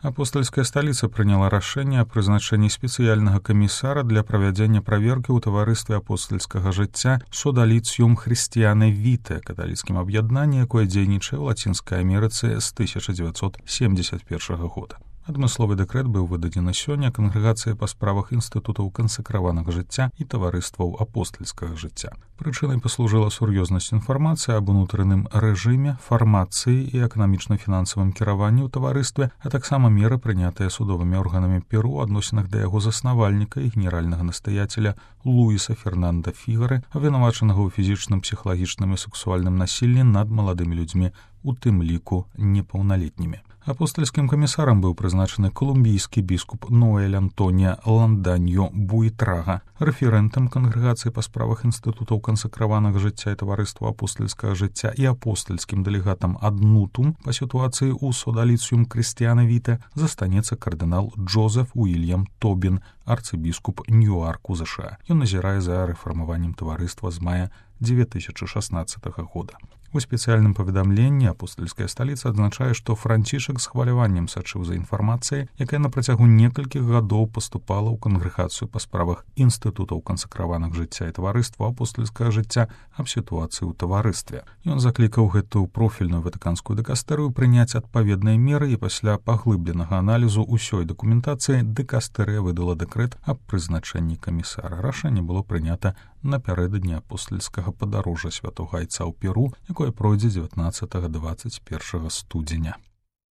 Апостольская сталіца прыняла рашэнне аб прызначэнні спецыяльнага камісара для правядзення праверкі ў таварыстве апостальскага жыцця «Sodalitium Christianae Vitae», каталіцкім аб'яднанні, якое дзейнічае ў Лацінскай Амерыцы з 1971 года. Адмысловы дэкрэт быў выдадзены сёння кангрэгацыяй па справах інстытутаў кансакраванага жыцця і таварыстваў апостальскага жыцця. Прычынай паслужыла сур'ёзнасць інфармацыі аб унутраным рэжыме, фармацыі і эканамічна-фінансавым кіраванні ў таварыстве, а таксама меры, прынятыя судовымі органамі Перу ў адносінах да яго заснавальніка і генеральнага настаяцеля Луіса Фернанда Фігары, абвінавачанага ў фізічным, псіхалагічным і сексуальным насіллі над маладымі людзьмі, у тым ліку непаўналетнімі. Апостальскім камісарам быў прызначаны колумбійскі біскуп Ноэль Антоніа Ланданьо Буйтрага, рэферэнтам кангрэгацыі па справах інстытутаў кансакраванага жыцця і таварыства апостальскага жыцця і апостальскім дэлегатам ад Нутум па сітуацыі ў «Sodalitium Christianae Vitae» застанецца кардынал Джозеф Уільям Тобін, арцыбіскуп Ньюарку, ЗША. Ён назірае за рэфармаваннем таварыства з мая 2016 года. У спецыяльным паведамленні апостальская сталіца адзначае, што Францішак з хваляваннем сачыў за інфармацыяй, якая на працягу некалькіх гадоў паступала ў кангрэгацыю па справах інстытутаў кансакраванага жыцця і таварыства апостальскага жыцця аб сітуацыі ў таварыстве. Ён заклікаў гэтую профільную ватыканскую дыкастэрыю прыняць адпаведныя меры, і пасля паглыбленага аналізу ўсёй дакументацыі дыкастэрыя выдала дэкрэт аб прызначэнні камісара. Рашэнне было прынята напярэдадні апостальскага падарожжа святога айца ў Перу, якое пройдзе 19-21 студзеня.